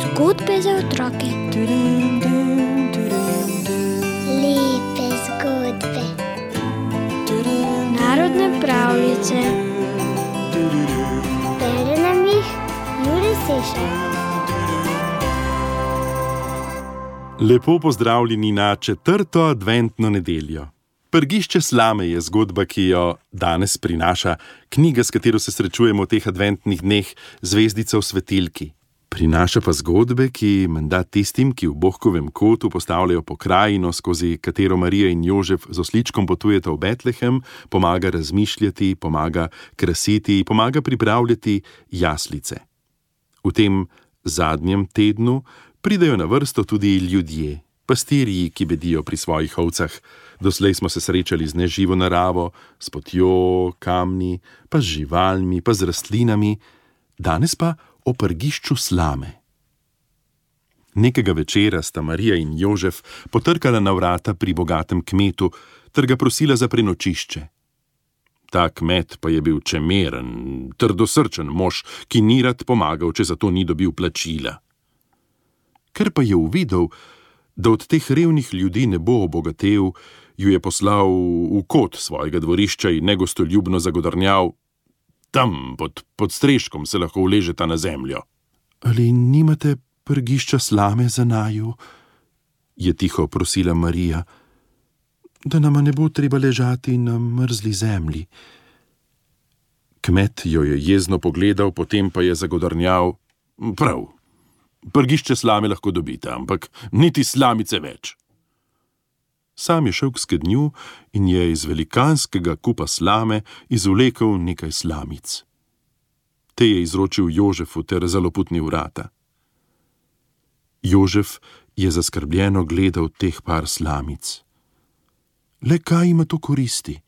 Zgodbe za otroke. Lepe zgodbe. Narodne pravljice. Bere nam jih Jure Sešar. Lepo pozdravljeni na 4. adventno nedeljo. Prgišče slame je zgodba, ki jo danes prinaša knjiga, s katero se srečujemo v teh adventnih dneh, Zvezdica v svetilki. Prinaša pa zgodbe, ki menda tistim, ki v Bohkovem kotu postavljajo pokrajino, skozi katero Marija in Jožef z osličkom potujeta v Betlehem, pomaga razmišljati, pomaga krasiti, pomaga pripravljati jaslice. V tem zadnjem tednu pridejo na vrsto tudi ljudje, pastirji, ki bedijo pri svojih ovcah. Doslej smo se srečali z neživo naravo, s potjo, kamni, pa z živalmi, pa z rastlinami, danes pa o prgišču slame. Nekega večera sta Marija in Jožef potrkala na vrata pri bogatem kmetu ter ga prosila za prenočišče. Ta kmet pa je bil čemeren, trdosrčen mož, ki ni rad pomagal, če za to ni dobil plačila. Ker pa je uvidel, da od teh revnih ljudi ne bo obogatel, ju je poslal v kot svojega dvorišča in negostoljubno zagodrnjal: tam, pod streškom se lahko uležeta na zemljo. Ali nimate prgišča slame za naju? Je tiho prosila Marija, da nama ne bo treba ležati na mrzli zemlji. Kmet jo je jezno pogledal, potem pa je zagodrnjal: prav, prgišče slame lahko dobite, ampak niti slamice več. Sam je šel k skednju in je iz velikanskega kupa slame izvlekel nekaj slamic. Te je izročil Jožefu ter zaloputnil vrata. Jožef je zaskrbljeno gledal teh par slamic. Le kaj ima to koristi?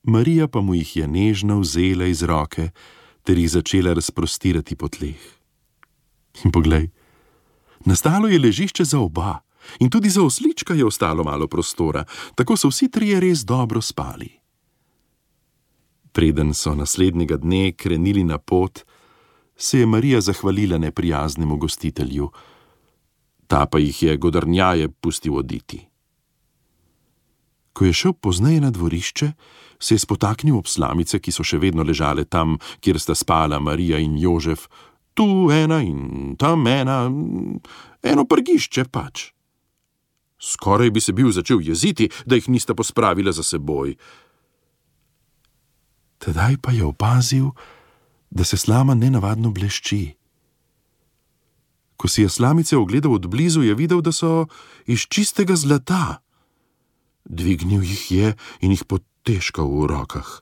Marija pa mu jih je nežno vzela iz roke ter jih začela razprostirati po tleh. In poglej, nastalo je ležišče za oba. In tudi za oslička je ostalo malo prostora, tako so vsi trije res dobro spali. Preden so naslednjega dne krenili na pot, se je Marija zahvalila neprijaznemu gostitelju. Ta pa jih je godrnjaje pustil oditi. Ko je šel pozneje na dvorišče, se je spotaknil ob slamice, ki so še vedno ležale tam, kjer sta spala Marija in Jožef. Tu ena in tam ena, eno prgišče pač. Skoraj bi se bil začel jeziti, da jih nista pospravila za seboj. Tedaj pa je opazil, da se slama nenavadno blešči. Ko si je slamice ogledal od blizu, je videl, da so iz čistega zlata. Dvignil jih je in jih potežkal v rokah.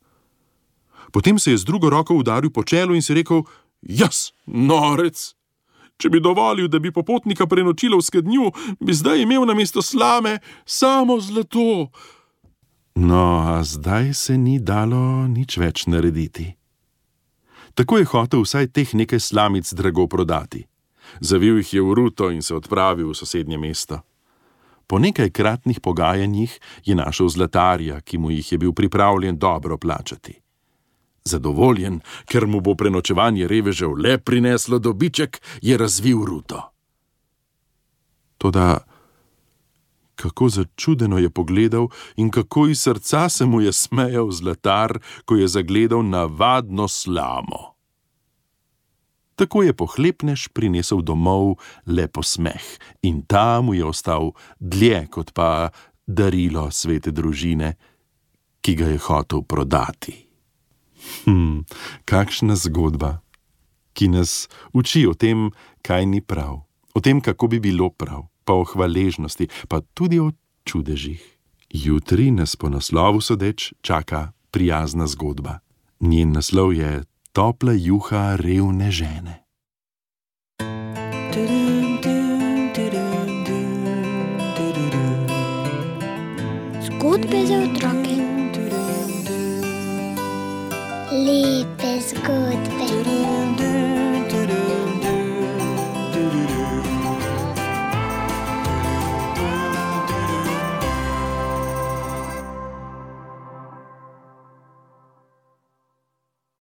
Potem se je z drugo roko udaril po čelu in si rekel: jaz, norec! Če bi dovolil, da bi popotnika prenočila v skednju, bi zdaj imel namesto slame samo zlato. No, a zdaj se ni dalo nič več narediti. Tako je hotel vsaj teh nekaj slamic drago prodati. Zavil jih je v ruto in se odpravil v sosednje mesto. Po nekajkratnih pogajanjih je našel zlatarja, ki mu jih je bil pripravljen dobro plačati. Zadovoljen, ker mu bo prenočevanje revežev le prineslo dobiček, je razvil ruto. Toda kako začudeno je pogledal in kako iz srca se mu je smejal zlatar, ko je zagledal navadno slamo. Tako je pohlepnež prinesel domov le posmeh in ta mu je ostal dlje kot pa darilo svete družine, ki ga je hotel prodati. Kakšna zgodba, ki nas uči o tem, kaj ni prav, o tem, kako bi bilo prav, pa o hvaležnosti, pa tudi o čudežih. Jutri nas po naslovu sodeč čaka prijazna zgodba. Njen naslov je Topla juha revne žene. Zgodbe za otroke. Lepe zgodbe.